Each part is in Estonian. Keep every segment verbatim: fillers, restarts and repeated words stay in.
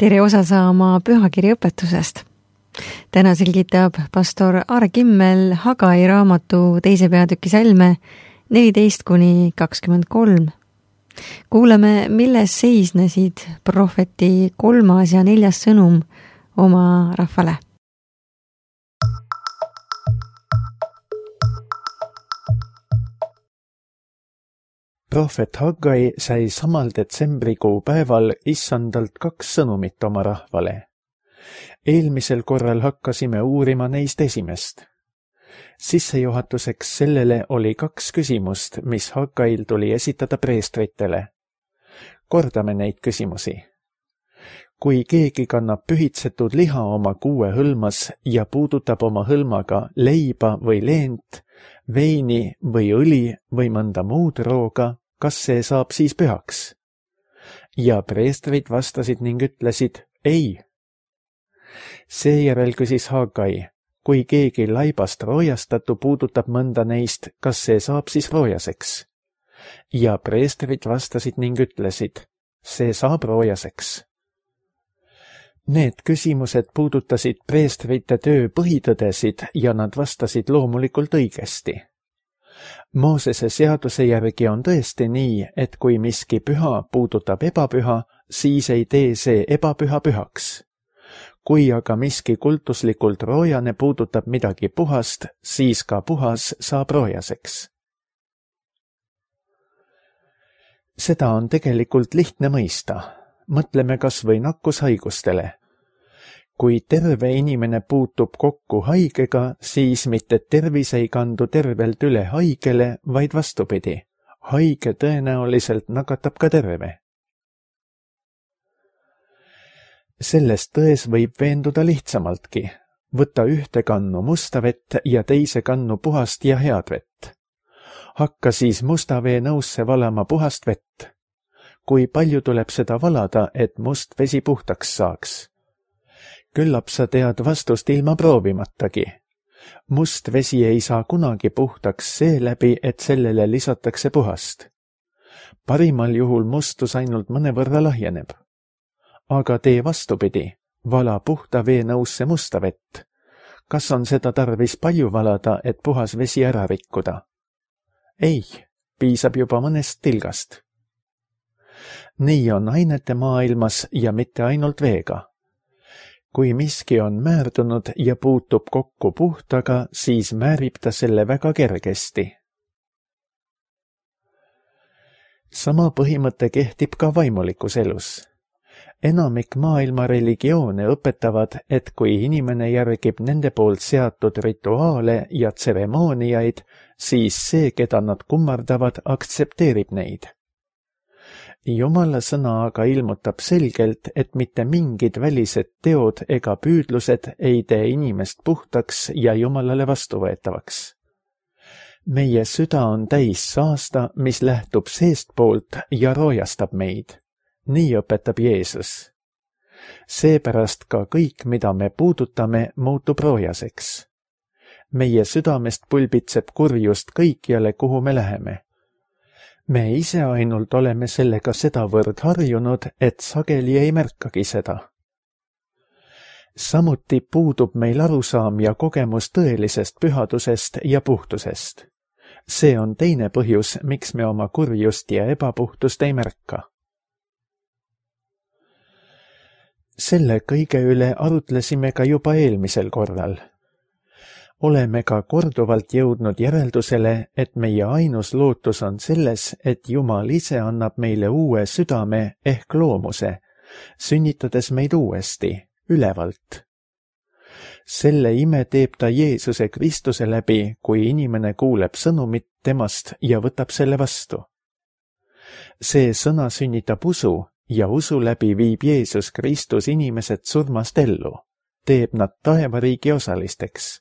tere osa saama pühakirja õpetusest. Täna selgitab pastor Aare Kimmel Hagai raamatu teise peatüki salme neliteist kuni kakskümmend kolm. Kuuleme, milles seisnesid prohveti kolmas ja neljas sõnum oma rahvale. Prohvet Hagai sai samal detsembrikuu päeval issandalt kaks sõnumit oma rahvale. Eelmisel korral hakkasime uurima neist esimest. Sissejuhatuseks sellele oli kaks küsimust, mis Hagail tuli esitada preestritele. Kordame neid küsimusi. Kui keegi kannab pühitsetud liha oma kuue hõlmas ja puudutab oma hõlmaga leiba või leent, veini või õli või mõnda muud rooga, kas see saab siis pühaks? Ja preestrid vastasid ning ütlesid ei. Seejärel küsis Hagai, kui keegi laibast roojastatu puudutab mõnda neist, kas see saab siis roojaseks? Ja preestrid vastasid ning ütlesid, see saab roojaseks. Need küsimused puudutasid preestrite töö põhitõdesid ja nad vastasid loomulikult õigesti. Moosese seaduse järgi on tõesti nii, et kui miski püha puudutab ebapüha, siis ei tee see ebapüha pühaks. Kui aga miski kultuslikult roojane puudutab midagi puhast, siis ka puhas saab roojaseks. Seda on tegelikult lihtne mõista. Mõtleme kas või nakkushaigustele. Kui terve inimene puutub kokku haigega, siis mitte tervis ei kandu tervelt üle haigele, vaid vastupidi. Haige tõenäoliselt nakatab ka terve. Sellest tões võib veenduda lihtsamaltki. Võta ühte kannu musta vett ja teise kannu puhast ja head vett. Hakka siis musta vee nõusse valama puhast vett. Kui palju tuleb seda valada, et must vesi puhtaks saaks? Küllap sa tead vastust ilma proovimatagi. Must vesi ei saa kunagi puhtaks seeläbi, et sellele lisatakse puhast. Parimal juhul mustus ainult mõnevõrra lahjeneb. Aga tee vastupidi, vala puhta vee nõusse musta vett. Kas on seda tarvis palju valada, et puhas vesi ära rikkuda? Ei, piisab juba mõnest tilgast. Nii on ainete maailmas ja mitte ainult veega. Kui miski on määrdunud ja puutub kokku puhtaga, siis määrib ta selle väga kergesti. Sama põhimõte kehtib ka vaimulikus elus. Enamik maailma religioone õpetavad, et kui inimene järgib nende poolt seatud rituaale ja tseremooniaid, siis see, keda nad kummardavad, aktsepteerib neid. Jumala sõna aga ilmutab selgelt, et mitte mingid välised teod ega püüdlused ei tee inimest puhtaks ja Jumalale vastuvõetavaks. Meie süda on täis saasta, mis lähtub seestpoolt ja roojastab meid. Nii õpetab Jeesus. Seepärast ka kõik, mida me puudutame, muutub roojaseks. Meie südamest pulbitseb kurjust kõikjale, kuhu me läheme. Me ise ainult oleme sellega sedavõrd harjunud, et sageli ei märkagi seda. Samuti puudub meil arusaam ja kogemus tõelisest pühadusest ja puhtusest. See on teine põhjus, miks me oma kurjust ja ebapuhtust ei märka. Selle kõige üle arutlesime ka juba eelmisel korral. Oleme ka korduvalt jõudnud järeldusele, et meie ainus lootus on selles, et Jumal ise annab meile uue südame ehk loomuse, sünnitades meid uuesti, ülevalt. Selle ime teeb ta Jeesuse Kristuse läbi, kui inimene kuuleb sõnumit temast ja võtab selle vastu. See sõna sünnitab usu ja usu läbi viib Jeesus Kristus inimesed surmast ellu, teeb nad taevariigi osalisteks.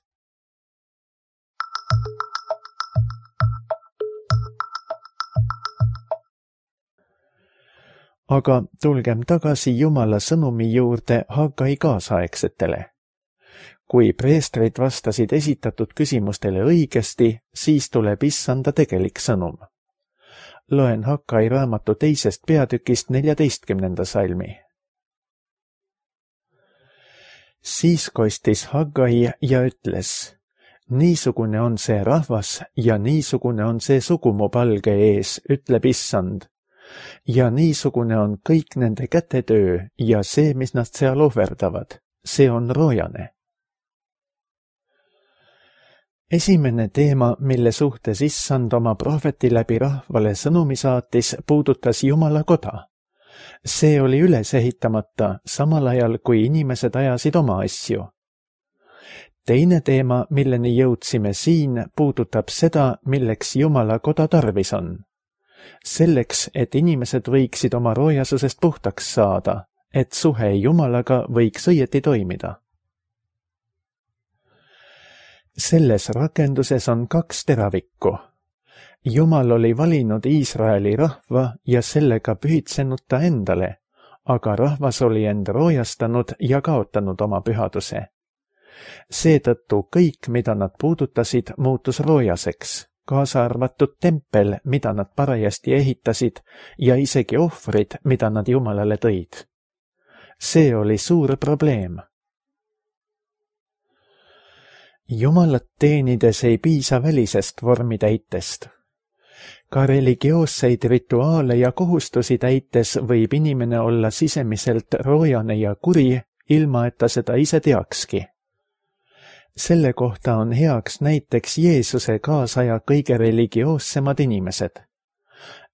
Aga tulgem tagasi Jumala sõnumi juurde Hagai kaasaegsetele. Kui preestrid vastasid esitatud küsimustele õigesti, siis tuleb issanda tegelik sõnum. Loen Hagai raamatu teisest peatükist neljateistkümnenda salmi. siis kostis Hagai ja ütles: niisugune on see rahvas ja niisugune on see sugu mu palge ees, ütleb issand. ja niisugune on kõik nende kätetöö ja see, mis nad seal ohverdavad, see on roojane. Esimene teema, mille suhtes issand oma prohveti läbi rahvale sõnumi saatis, puudutas Jumala koda. See oli üles ehitamata, samal ajal kui inimesed ajasid oma asju. Teine teema, milleni jõudsime siin, puudutab seda, milleks Jumala koda tarvis on. Selleks, et inimesed võiksid oma roojasusest puhtaks saada, et suhe Jumalaga võiks õieti toimida. Selles rakenduses on kaks teravikku. Jumal oli valinud Iisraeli rahva ja sellega pühitsenud ta endale, aga rahvas oli end roojastanud ja kaotanud oma pühaduse. Seetõttu kõik, mida nad puudutasid, muutus roojaseks, kaasa arvatud tempel, mida nad parajasti ehitasid ja isegi ohvrid, mida nad Jumalale tõid. See oli suur probleem. Jumalat teenides ei piisa välisest vormitäitest. Ka religioosseid rituaale ja kohustusi täites võib inimene olla sisemiselt roojane ja kuri, ilma et ta seda ise teakski. Selle kohta on heaks näiteks Jeesuse kaasaja kõige religioossemad inimesed.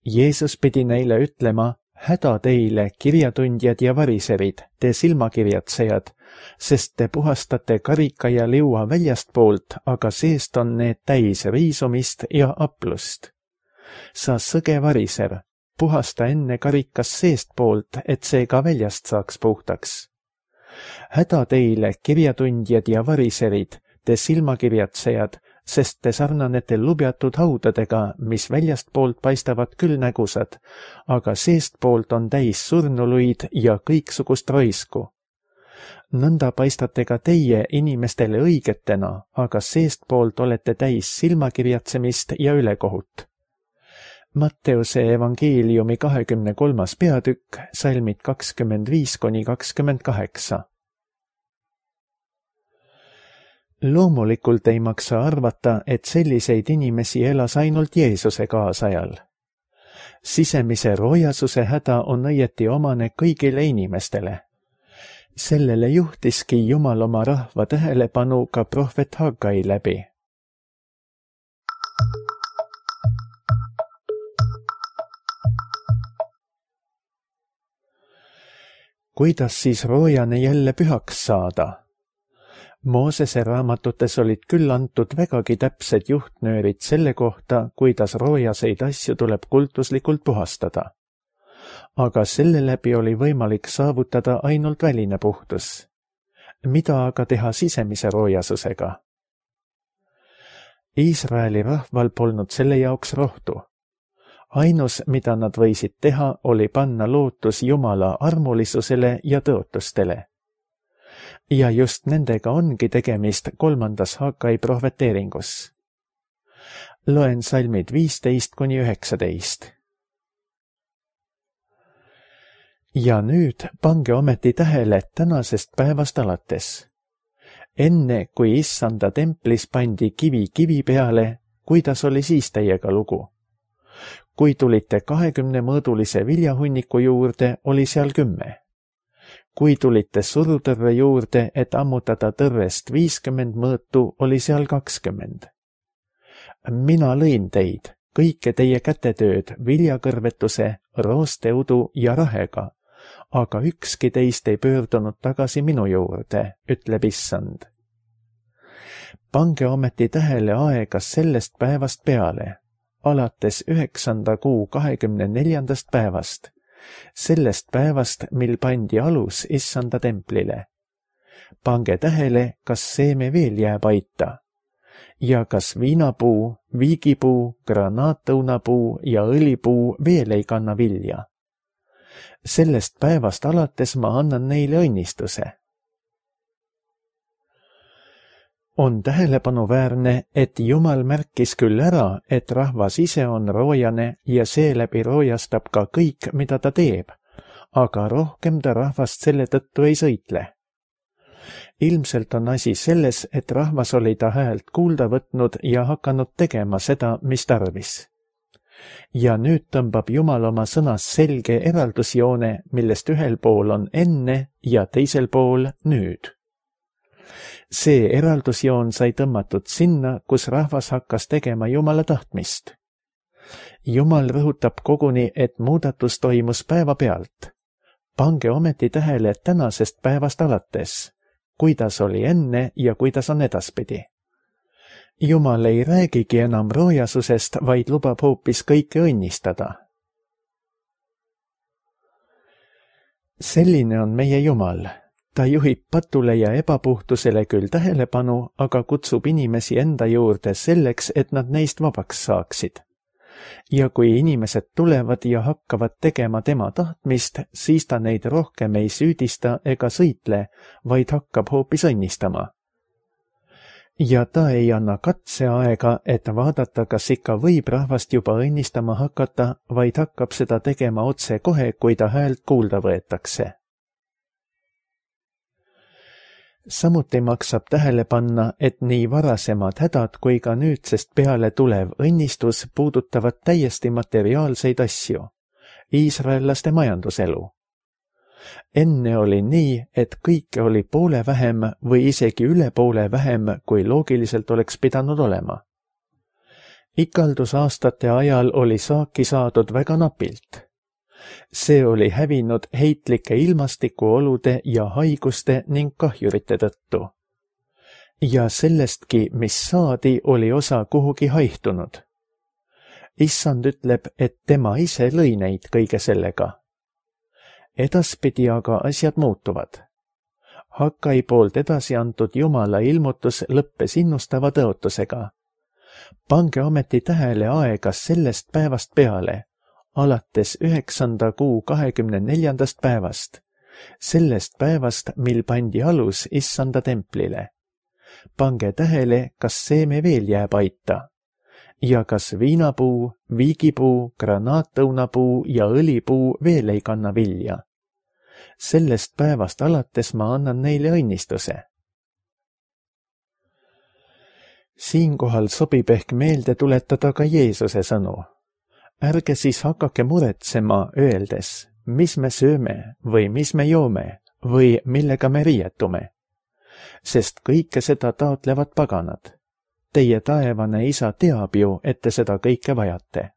Jeesus pidi neile ütlema: häda teile, kirjatundjad ja variserid, te silmakirjatsejad, sest te puhastate karika ja liua väljastpoolt, aga seest on need täis riisumist ja aplust. Sa sõge variser, puhasta enne karikas seestpoolt, et see ka väljast saaks puhtaks. Häda teile, kirjatundjad ja variserid, te silmakirjatsejad, sest te sarnanete lubjatud haudadega, mis väljastpoolt paistavad küll nägusad, aga seestpoolt on täis surnuluid ja kõiksugust roisku. Nõnda paistate ka teie inimestele õigetena, aga seestpoolt olete täis silmakirjatsemist ja ülekohut. Matteuse evangeeliumi kahekümne kolmas peatükk, salmid kakskümmend viis kuni kakskümmend kaheksa. Loomulikult ei maksa arvata, et selliseid inimesi elas ainult Jeesuse kaasajal. Sisemise roojasuse häda on õieti omane kõigile inimestele. Sellele juhtiski Jumal oma rahva tähelepanu ka prohvet Hagai läbi. Kuidas siis roojane jälle pühaks saada? Moosese raamatutes olid küll antud vägagi täpsed juhtnöörid selle kohta, kuidas roojaseid asju tuleb kultuslikult puhastada. Aga selle läbi oli võimalik saavutada ainult väline puhtus. Mida aga teha sisemise roojasusega? Iisraeli rahval polnud selle jaoks rohtu. Ainus, mida nad võisid teha, oli panna lootus Jumala armulisusele ja tõotustele. Ja just nendega ongi tegemist kolmandas Hagai prohveteeringus. Loen salmid viisteist kuni üheksateist. Ja nüüd pange ometi tähele tänasest päevast alates. Enne, kui issanda templis pandi kivi kivi peale, kuidas oli siis teiega lugu? Kui tulite kahekümne mõõdulise viljahunniku juurde, oli seal kümme. Kui tulite surutõrre juurde, et ammutada tõrrest viiskümmend mõõtu, oli seal kakskümmend. Mina lõin teid, kõike teie kätetööd, viljakõrvetuse, roosteudu ja rahega, aga ükski teist ei pöördunud tagasi minu juurde, ütleb issand. Pange ometi tähele aega sellest päevast peale, alates üheksanda kuu kahekümne neljandast päevast, sellest päevast, mil pandi alus issanda templile. Pange tähele, kas seeme veel jääb aita. Ja kas viinapuu, viigipuu, granaatõunapuu ja õlipuu veel ei kanna vilja. Sellest päevast alates ma annan neile õnnistuse. On tähelepanuväärne, et Jumal märkis küll ära, et rahvas ise on roojane ja seeläbi roojastab ka kõik, mida ta teeb, aga rohkem ta rahvast selle tõttu ei sõitle. ilmselt on asi selles, et rahvas oli ta häält kuulda võtnud ja hakanud tegema seda, mis tarvis. Ja nüüd tõmbab Jumal oma sõnas selge eraldusjoone, millest ühel pool on enne ja teisel pool nüüd. See eraldusjoon sai tõmmatud sinna, kus rahvas hakkas tegema Jumala tahtmist. Jumal rõhutab koguni, et muudatus toimus päevapealt. Pange ometi tähele tänasest päevast alates, kuidas oli enne ja kuidas on edaspidi. Jumal ei räägigi enam roojasusest, vaid lubab hoopis kõike õnnistada. Selline on meie Jumal. Ta juhib patule ja ebapuhtusele küll tähelepanu, aga kutsub inimesi enda juurde selleks, et nad neist vabaks saaksid. Ja kui inimesed tulevad ja hakkavad tegema tema tahtmist, siis ta neid rohkem ei süüdista ega sõitle, vaid hakkab hoopis õnnistama. Ja ta ei anna katseaega, et vaadata, kas ikka võib rahvast juba õnnistama hakata, vaid hakkab seda tegema otse kohe, kui ta häält kuulda võetakse. Samuti maksab tähele panna, et nii varasemad hädad kui ka nüüdsest peale tulev õnnistus puudutavad täiesti materiaalseid asju, iisraellaste majanduselu. Enne oli nii, et kõike oli poole vähem või isegi üle poole vähem, kui loogiliselt oleks pidanud olema. Ikaldusaastate ajal oli saaki saadud väga napilt. See oli hävinud heitlike ilmastikuolude ja haiguste ning kahjurite tõttu. Ja sellestki, mis saadi, oli osa kuhugi haihtunud. Issand ütleb, et tema ise lõi neid kõige sellega. Edaspidi aga asjad muutuvad. Hakkai poolt edasi antud Jumala ilmutus lõppes innustava tõotusega. Pange ometi tähele aega sellest päevast peale, alates üheksanda kuu kahekümne neljandast päevast, sellest päevast, mil pandi alus Issanda templile. Pange tähele, kas seeme veel jääb aita ja kas viinapuu, viigipuu, granaatõunapuu ja õlipuu veel ei kanna vilja. Sellest päevast alates ma annan neile õnnistuse. Siinkohal sobib ehk meelde tuletada ka Jeesuse sõnu. Ärge siis hakake muretsema, öeldes, mis me sööme või mis me joome või millega me riietume. Sest kõike seda taotlevad paganad. Teie taevane isa teab ju, et te seda kõike vajate.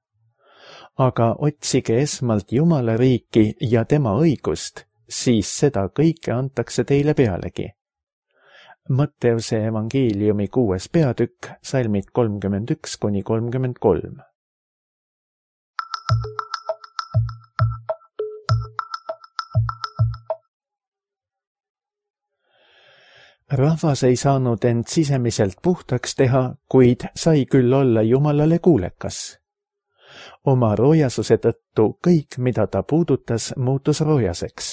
Aga otsige esmalt Jumala riiki ja tema õigust, siis seda kõike antakse teile pealegi. Matteuse evangeeliumi kuues peatükk, salmid kolmkümmend üks kuni kolmkümmend kolm. Rahvas ei saanud end sisemiselt puhtaks teha, kuid sai küll olla Jumalale kuulekas. Oma roojasuse tõttu kõik, mida ta puudutas, muutus roojaseks.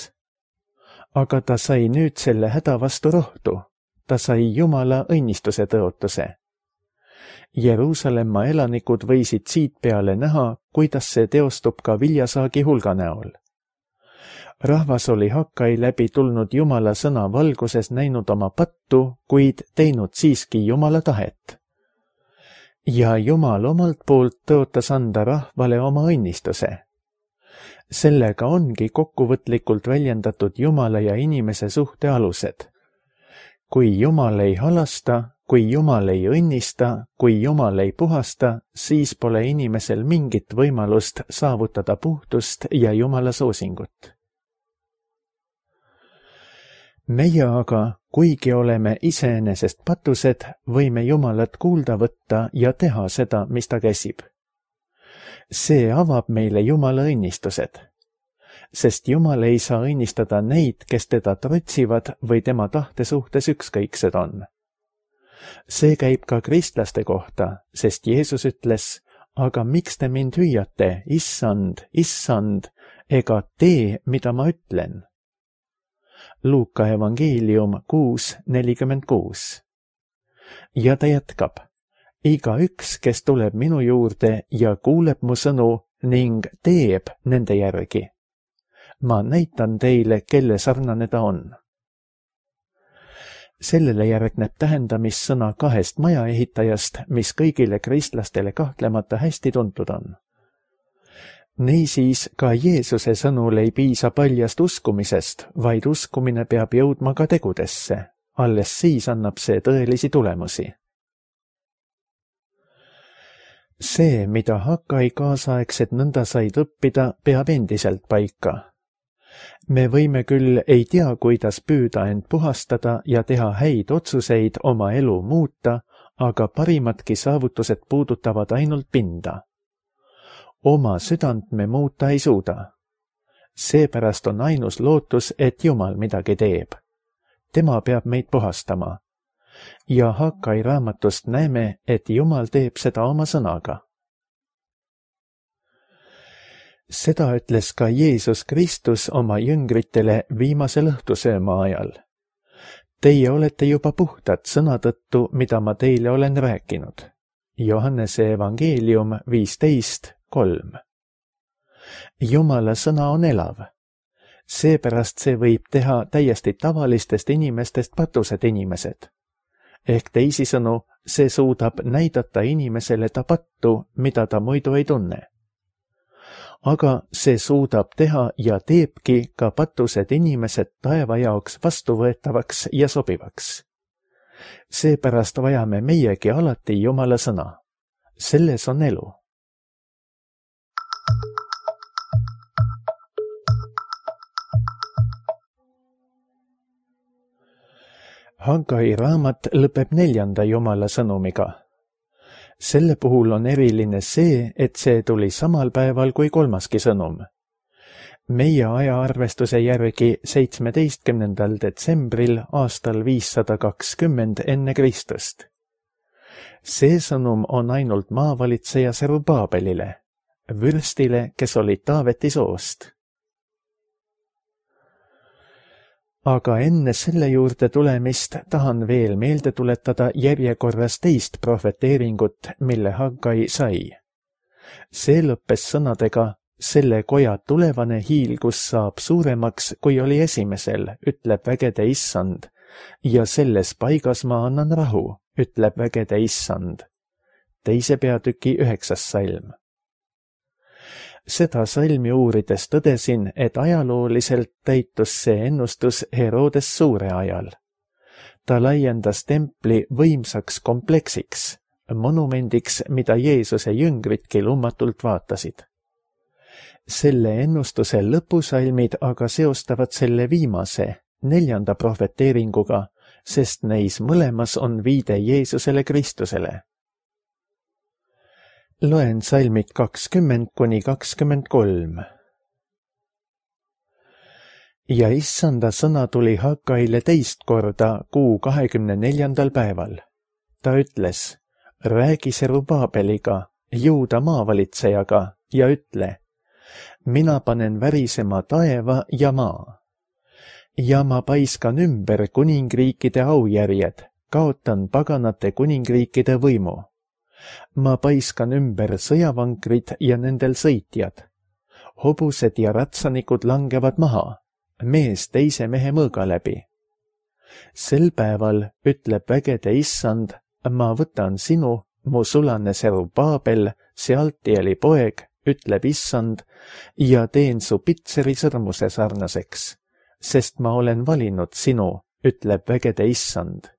Aga ta sai nüüd selle häda vastu rohtu. Ta sai Jumala õnnistuse tõotuse. Jeruusalemma elanikud võisid siit peale näha, kuidas see teostub ka viljasaagi hulga näol. Rahvas oli Hakkai läbi tulnud Jumala sõna valguses näinud oma pattu, kuid teinud siiski Jumala tahet. Ja Jumal omalt poolt tõotas anda rahvale oma õnnistuse. Sellega ongi kokkuvõtlikult väljendatud Jumala ja inimese suhte alused. Kui Jumal ei halasta, kui Jumal ei õnnista, kui Jumal ei puhasta, siis pole inimesel mingit võimalust saavutada puhtust ja Jumala soosingut. Meie aga, kuigi oleme iseenesest patused, võime Jumalat kuulda võtta ja teha seda, mis ta käsib. See avab meile Jumala õnnistused, sest Jumal ei saa õnnistada neid, kes teda trotsivad või tema tahte suhtes ükskõiksed on. See käib ka kristlaste kohta, sest Jeesus ütles, aga miks te mind hüüate, issand, issand, ega tee, mida ma ütlen? Luuka evangeelium kuus nelikümmend kuus. Ja ta jätkab, iga üks, kes tuleb minu juurde ja kuuleb mu sõnu ning teeb nende järgi. Ma näitan teile, kelle sarnane ta on. sellele järgneb tähendamissõna kahest majaehitajast, mis kõigile kristlastele kahtlemata hästi tuntud on. Niisiis ka Jeesuse sõnul ei piisa paljast uskumisest, vaid uskumine peab jõudma ka tegudesse. Alles siis annab see tõelisi tulemusi. See, mida Hakkai kaasaegsed nõnda said õppida, peab endiselt paika. Me võime küll ei tea, kuidas püüda end puhastada ja teha häid otsuseid oma elu muuta, aga parimadki saavutused puudutavad ainult pinda. Oma südant me muuta ei suuda. Seepärast on ainus lootus, et Jumal midagi teeb. Tema peab meid puhastama. Ja Hakkai raamatust näeme, et Jumal teeb seda oma sõnaga. Seda ütles ka Jeesus Kristus oma jüngritele viimasel õhtusööma ajal. Teie olete juba puhtad sõna tõttu, mida ma teile olen rääkinud. Johannese evangeelium viisteist kolm. Jumala sõna on elav. Seepärast see võib teha täiesti tavalistest inimestest patused inimesed. Ehk teisisõnu, see suudab näidata inimesele ta pattu, mida ta muidu ei tunne. Aga see suudab teha ja teebki ka patused inimesed taeva jaoks vastuvõetavaks ja sobivaks. Seepärast vajame meiegi alati Jumala sõna. Selles on elu. Hakkai raamat lõpeb neljanda Jumala sõnumiga. Selle puhul on eriline see, et see tuli samal päeval kui kolmaski sõnum. Meie ajaarvestuse järgi seitsmeteistkümnendal detsembril aastal viissada kakskümmend enne Kristust. See sõnum on ainult maavalitseja Serubabelile, vürstile, kes oli Taaveti soost. Aga enne selle juurde tulemist tahan veel meelde tuletada järjekorras teist prohveteeringut, mille Hakkai sai. See lõppes sõnadega, selle koja tulevane hiilgus saab suuremaks, kui oli esimesel, ütleb vägede issand, ja selles paigas ma annan rahu, ütleb vägede issand. Teise peatüki üheksas salm. Seda salmi uurides tõdesin, et ajalooliselt täitus see ennustus Herodes suure ajal. Ta laiendas templi võimsaks kompleksiks, monumendiks, mida Jeesuse jüngritki lummatult vaatasid. Selle ennustuse lõpusalmid aga seostavad selle viimase, neljanda prohveteeringuga, sest neis mõlemas on viide Jeesusele Kristusele. Loen salmid kakskümmend kuni kakskümmend kolm. Ja issanda sõna tuli Hakkaile teist korda kuu kahekümne neljandal päeval. Ta ütles, räägi Serubabeliga, Juuda maavalitsejaga ja ütle, mina panen värisema taeva ja maa. Ja ma paiskan ümber kuningriikide aujärjed, kaotan paganate kuningriikide võimu. Ma paiskan ümber sõjavankrid ja nendel sõitjad. Hobused ja ratsanikud langevad maha, mees teise mehe mõõga läbi. Sel päeval, ütleb vägede issand, ma võtan sinu, mu sulane Serubabel, Sealtieli poeg, ütleb issand, ja teen su pitseri sõrmuse sarnaseks, sest ma olen valinud sinu, ütleb vägede issand.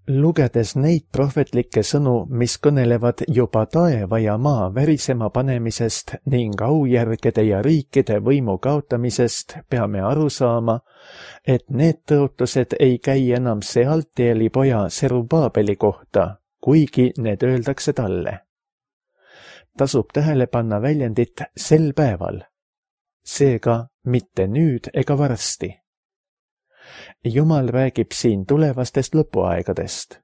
Lugedes neid prohvetlikke sõnu, mis kõnelevad juba taeva ja maa värisema panemisest ning aujärgede ja riikide võimu kaotamisest, peame aru saama, et need tõotused ei käi enam Sealtieli poja Serubabeli kohta, kuigi need öeldakse talle. Tasub tähele panna väljendit sel päeval, seega mitte nüüd ega varsti. Jumal räägib siin tulevastest lõpuaegadest.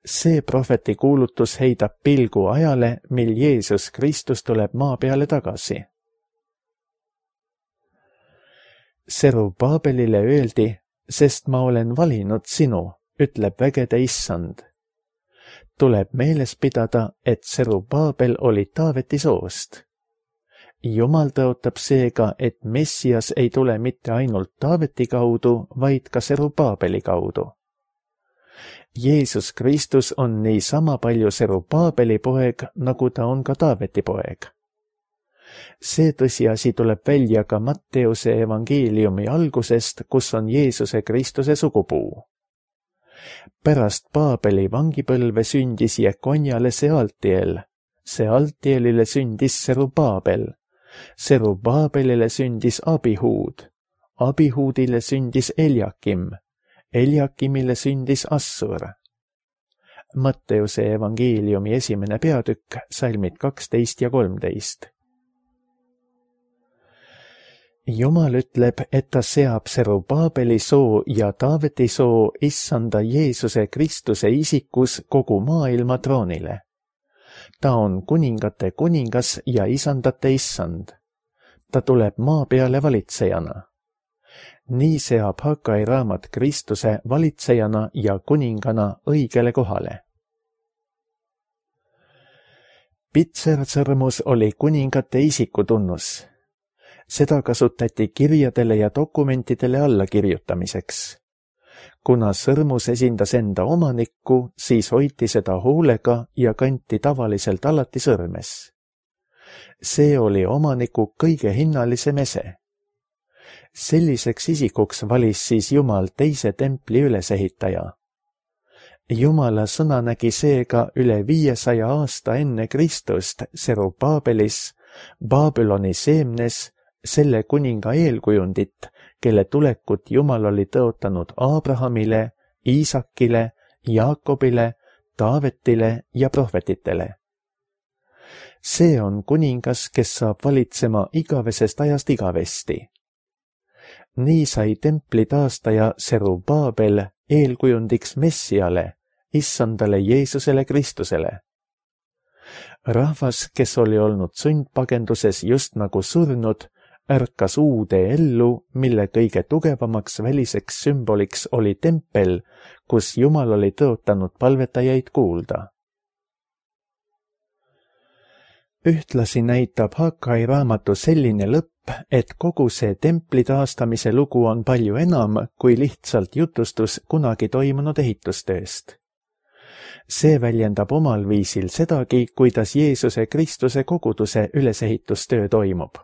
See prohveti kuulutus heidab pilgu ajale, mil Jeesus Kristus tuleb maa peale tagasi. Serubabelile öeldi, sest ma olen valinud sinu, ütleb vägede issand. Tuleb meeles pidada, et Serubabel oli Taaveti soost. Jumal tõotab seega, et Messias ei tule mitte ainult Taaveti kaudu, vaid ka Serubaabeli kaudu. Jeesus Kristus on nii sama palju Serubaabeli poeg, nagu ta on ka Taaveti poeg. See tõsiasi tuleb välja ka Matteuse evangeeliumi algusest, kus on Jeesuse Kristuse sugupuu. Pärast Baabeli vangipõlve sündis Jekonjale Sealtiel, Sealtielile sündis Serubaabel, Serubaabelile sündis Abihuud, Abihuudile sündis Eljakim, Eljakimile sündis Assur. Matteuse evangeeliumi esimene peatükk, salmid kaksteist ja kolmteist. Jumal ütleb, et ta seab Serubaabeli soo ja Taaveti soo issanda Jeesuse Kristuse isikus kogu maailma troonile. Ta on kuningate kuningas ja isandate issand. Ta tuleb maa peale valitsejana. Nii seab Hagai raamat Kristuse valitsejana ja kuningana õigele kohale. Pitsersõrmus oli kuningate isikutunnus. Seda kasutati kirjadele ja dokumentidele allakirjutamiseks. Kuna sõrmus esindas enda omanikku, siis hoiti seda hoolega ja kanti tavaliselt alati sõrmes. See oli omaniku kõige hinnalisem ese. Selliseks isikuks valis siis Jumal teise templi ülesehitaja. Jumala sõna nägi seega üle viiesaja aasta enne Kristust Serubaabelis, Babyloni seemnes, selle kuninga eelkujundit, kelle tulekut Jumal oli tõotanud Abrahamile, Iisakile, Jaakobile, Taavetile ja prohvetitele. See on kuningas, kes saab valitsema igavesest ajast igavesti. Nii sai templi taastaja Serubaabel eelkujundiks Messiale, issandale Jeesusele Kristusele. Rahvas, kes oli olnud sundpagenduses just nagu surnud, ärkas uude ellu, mille kõige tugevamaks väliseks sümboliks oli tempel, kus Jumal oli tõotanud palvetajaid kuulda. Ühtlasi näitab Hagai raamatu selline lõpp, et kogu see templi taastamise lugu on palju enam kui lihtsalt jutustus kunagi toimunud ehitustööst. See väljendab omal viisil sedagi, kuidas Jeesuse Kristuse koguduse ülesehitustöö toimub.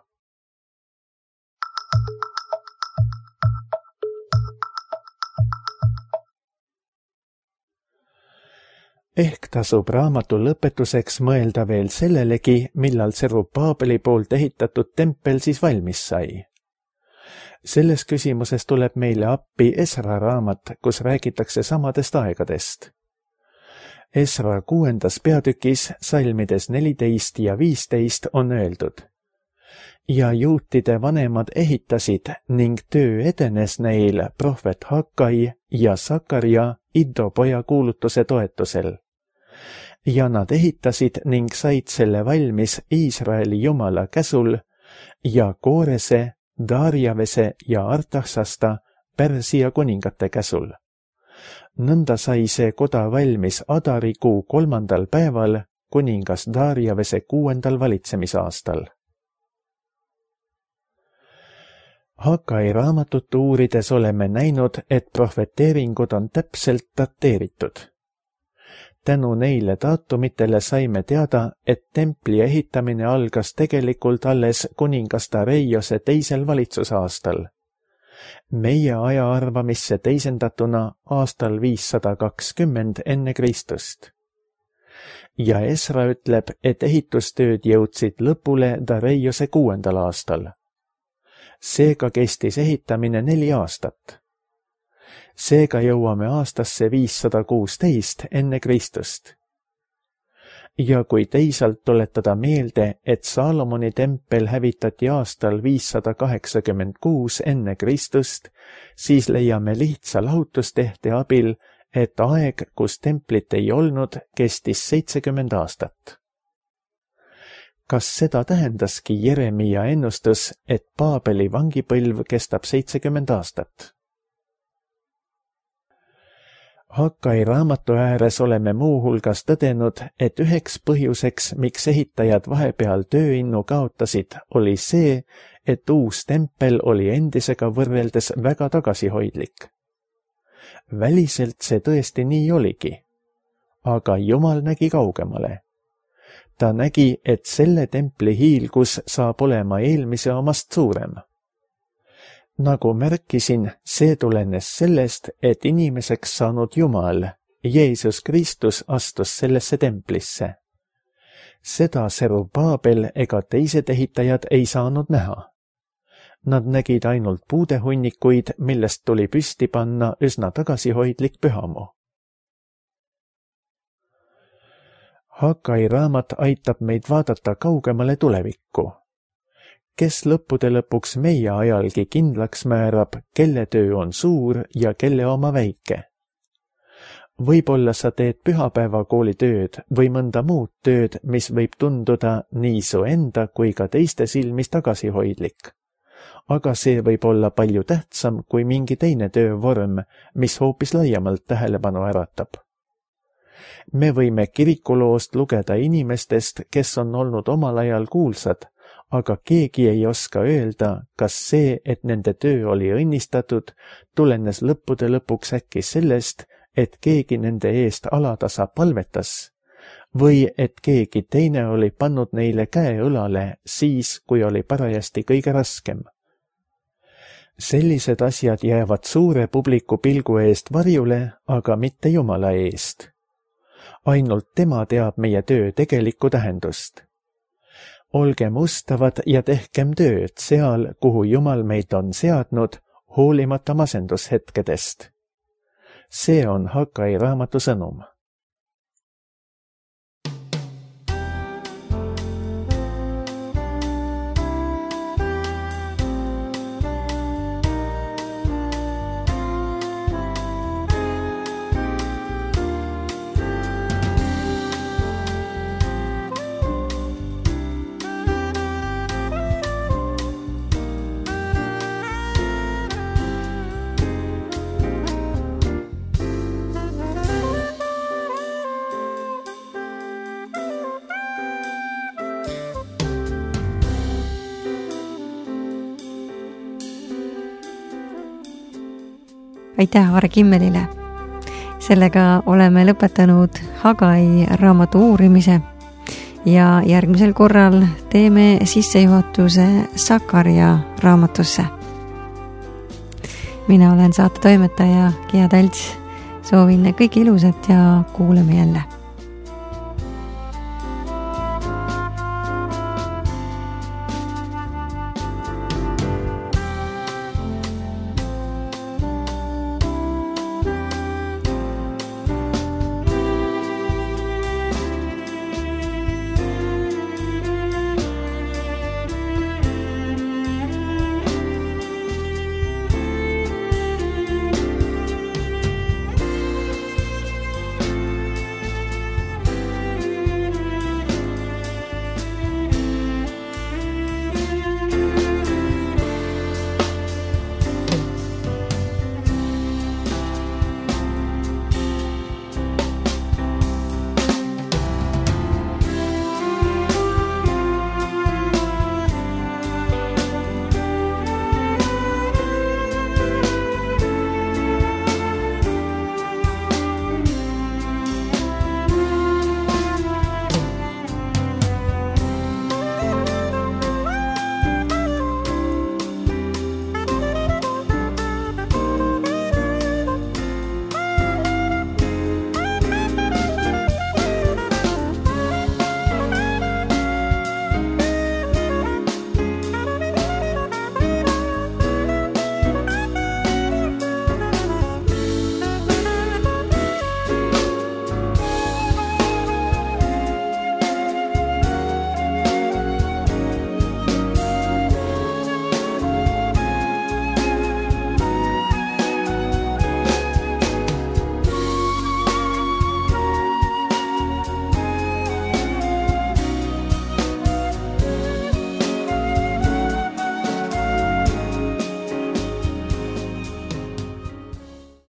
Ehk tasub raamatu lõpetuseks mõelda veel sellelegi, millal Serubaabeli poolt ehitatud tempel siis valmis sai. Selles küsimuses tuleb meile appi Esra raamat, kus räägitakse samadest aegadest. Esra kuuendas peatükis, salmides neliteist ja viisteist on öeldud: ja juutide vanemad ehitasid ning töö edenes neil prohvet Hagai ja Sakaria Iddo poja kuulutuse toetusel. Ja nad ehitasid ning said selle valmis Iisraeli Jumala käsul ja Koorese, Darjavese ja Artaksasta Pärsia kuningate käsul. Nõnda sai see koda valmis Adari kuu kolmandal päeval, kuningas Darjavese kuuendal valitsemisaastal. Hagai raamatut uurides oleme näinud, et prohveteeringud on täpselt dateeritud. Tänu neile daatumitele saime teada, et templi ehitamine algas tegelikult alles kuningas Dareiose teisel valitsusaastal. Meie aja arvamisse teisendatuna aastal viissada kakskümmend enne Kristust. Ja Esra ütleb, et ehitustööd jõudsid lõpule Dareiose kuuendal aastal. Seega kestis ehitamine neli aastat. Seega jõuame aastasse viissada kuusteist enne Kristust. Ja kui teisalt tuletada meelde, et Saalomoni tempel hävitati aastal viissada kaheksakümmend kuus enne Kristust, siis leiame lihtsa lahutustehte abil, et aeg, kus templit ei olnud, kestis seitsekümmend aastat. Kas seda tähendaski Jeremia ennustus, et Baabeli vangipõlv kestab seitsekümmend aastat? Hakkai raamatu ääres oleme muuhulgas tõdenud, et üheks põhjuseks, miks ehitajad vahepeal tööinnu kaotasid, oli see, et uus tempel oli endisega võrreldes väga tagasihoidlik. Väliselt see tõesti nii oligi, aga Jumal nägi kaugemale. Ta nägi, et selle templi hiilgus saab olema eelmise omast suurem. Nagu märkisin, see tulenes sellest, et inimeseks saanud Jumal, Jeesus Kristus, astus sellesse templisse. Seda Serubaabel ega teised ehitajad ei saanud näha. Nad nägid ainult puudehunnikuid, millest tuli püsti panna üsna tagasihoidlik pühamu. Hakkai raamat aitab meid vaadata kaugemale tulevikku. Kes lõppude lõpuks meie ajalgi kindlaks määrab, kelle töö on suur ja kelle oma väike. Võib-olla sa teed pühapäevakooli tööd või mõnda muud tööd, mis võib tunduda nii su enda kui ka teiste silmis tagasihoidlik. Aga see võib olla palju tähtsam kui mingi teine töövorm, mis hoopis laiemalt tähelepanu äratab. Me võime kirikuloost lugeda inimestest, kes on olnud omal ajal kuulsad, aga keegi ei oska öelda, kas see, et nende töö oli õnnistatud, tulenes lõppude lõpuks äkki sellest, et keegi nende eest alatasa palvetas, või et keegi teine oli pannud neile käe õlale siis, kui oli parajasti kõige raskem. Sellised asjad jäävad suure publiku pilgu eest varjule, aga mitte Jumala eest. Ainult tema teab meie töö tegelikku tähendust. Olgem ustavad ja tehkem tööd seal, kuhu Jumal meid on seadnud, hoolimata masendushetkedest. See on Hakkai raamatu sõnum. Aitäh Aare Kimmelile! Sellega oleme lõpetanud Hagai raamatu uurimise ja järgmisel korral teeme sissejuhatuse Sakaria raamatusse. Mina olen saate toimetaja Gea Talts. Soovin kõike ilusat ja kuuleme jälle!